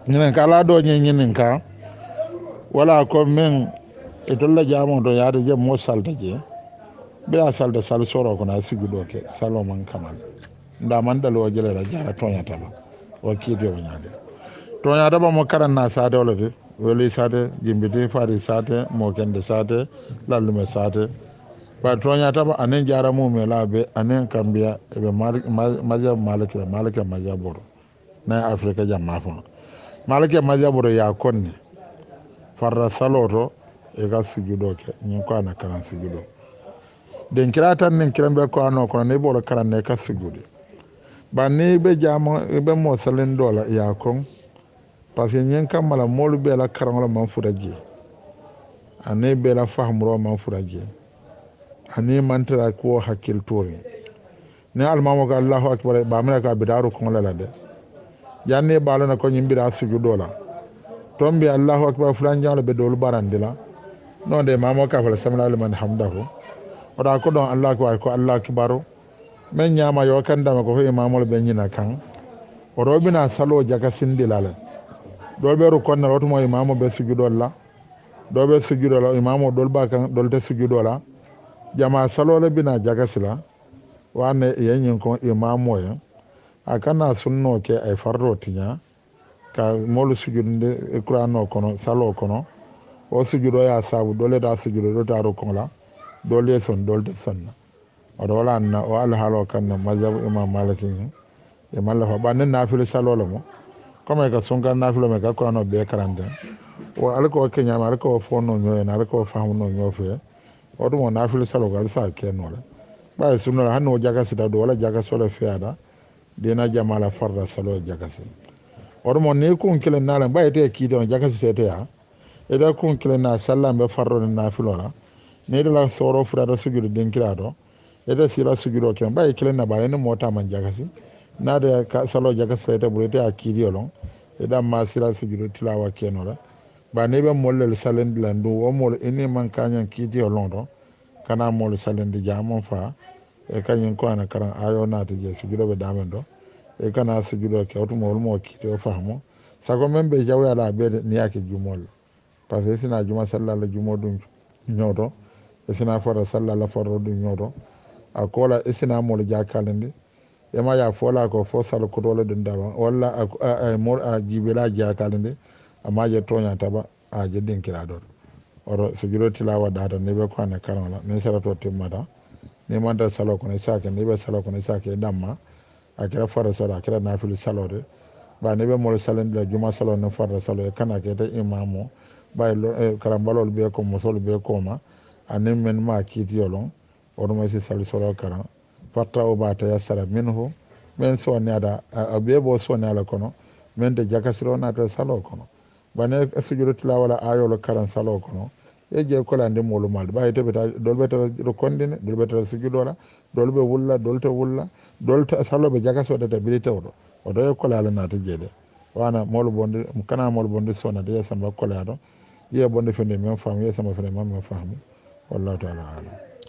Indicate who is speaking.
Speaker 1: Ñininkala do ñe ñininka wala ko min e tolla jamo to yaade je mo salta je bira salta sal soro kono a siguɗo ke salo man kamal nda man dalo jelera jara toñata ba o kiiti o ñaade toñata ba mo karanna sate wala de weli sate jimbiti fari sate mo kende sate lallume sate ba toñata ba anen jara mume laabe anen kambiya eɓe mazhab maliki maliki mazhab oto nayi Afrique jamma fono maliki mazhab oto ya konni farra salo to e ka sujudo ke ñin ko ana karan sujudo den kira tan nin kiran be ko ano kono ni bolo karan ne ka sujude ba ni be jamo be mo salen dola ya kon parce que ñin kammala moolu be la karaŋo man futa je ani be la fahamuro man futa je ani mantara kuwo hakkil tori ni almamo ko Allahu akbar ba mena ko bitaru koŋo la de janni ɓaalona ko ñin mbira sujudo la toon mbi Allahu akbar fulanjaŋo be doolu barandi la non de mamo ka fala samina liman hamdahu oɗa ko ɗon Allahu akbar ko Allahu akbaru men ñama yo kandama ko fo imamol ɓe ñina kan oɗo bina salo jaka sindila le ɗol ɓe rukonna wotumo imamo ɓe sujudol la ɗo ɓe sujudo la imamo ɗol ba kan ɗol te sujudo la jama salole bina jakasila wane yeñin ko imamo ye a kana sunno ke ay fardo tiña ka molu sujudinde qur'ano kono salo kono o sujudo ya sabu dole da sujudo do ta rukon la dole son dole te sonna oto wala na o alhaalo kan mazhabu Imam Maliki e malla fa ɓannen nafilo salole mo comme ka sunkan nafilo me ka qur'ano be karante o ala ko keñama ala ko fonno ñoyen ala ko famuno ñofe o ɗum o nafilo salo ko ala sa kennole ɓaye sunnola hanno o jakasita ɗo wala jakasole feyata dina jamala farda salo jakasi oɗum ni kun kilen nalen ɓaye te kiite on jakasitete ya eda kun kilen na sallan ɓe farrone nafilo la ni la soro futata sujudu dinkira to eda sila sujudo ken ɓaye kilen na ɓaye ni motaman jakasi naade salo jakasitete ɓuuri ete a kiitiyo lon eɗan ma sila sujudu tilawa kenola ba ni ɓe mollel salendi lan ɗum wo mol ini man kañan kiitiyo lon to kana mol salendi jamon fa e kañum ko ana karan ayo naati je sujudo ɓe damen ɗo e kana sujudo ke otumo wolmo kiiti o fahmo sago men ɓe jawyala ɓeede niyake jumol parce que sina juma sallala jumo ɗum ñooto e sina fota sallala forro ɗum ñooto a kola e sina mol jakale ndi ema ya fola ko fo sala kotole ɗum daba walla a jiɓela jakale ndi amma je toña taba a je dinkira ɗon oto sujudo tilawa data ni ɓe ko ana karan la ni sarato timmata ni manta salo kono sake ni ɓe salo kono sake ɗamma a kera farda salo a kera nafilu salode ba ni ɓe molo salendi la juma salo ni farda salo e kana kete imamo ɓay karambalol ɓe ko musol ɓe koma anin men ma kiitiyolon oɗuma si sali solo karan fatta o ba tayassara minhu min sonniyata a ɓe bo sonni ala kono min de jakasiro nata salo kono bane sujudu tilawala ayolo karan salo kono e je kolande molu malde ɓawi teɓe ta dol ɓe tata rokondine dol ɓe tata sujudola dol ɓe wulla dol te wulla dol saloɓe jakasodata bili tewɗo oto e kolala naata jeeɗe wana molu bonde kana molu bonde sonnata ye samba kola to yiye bonde fende men faamu ye samba fende men faamu wallahu taala alam.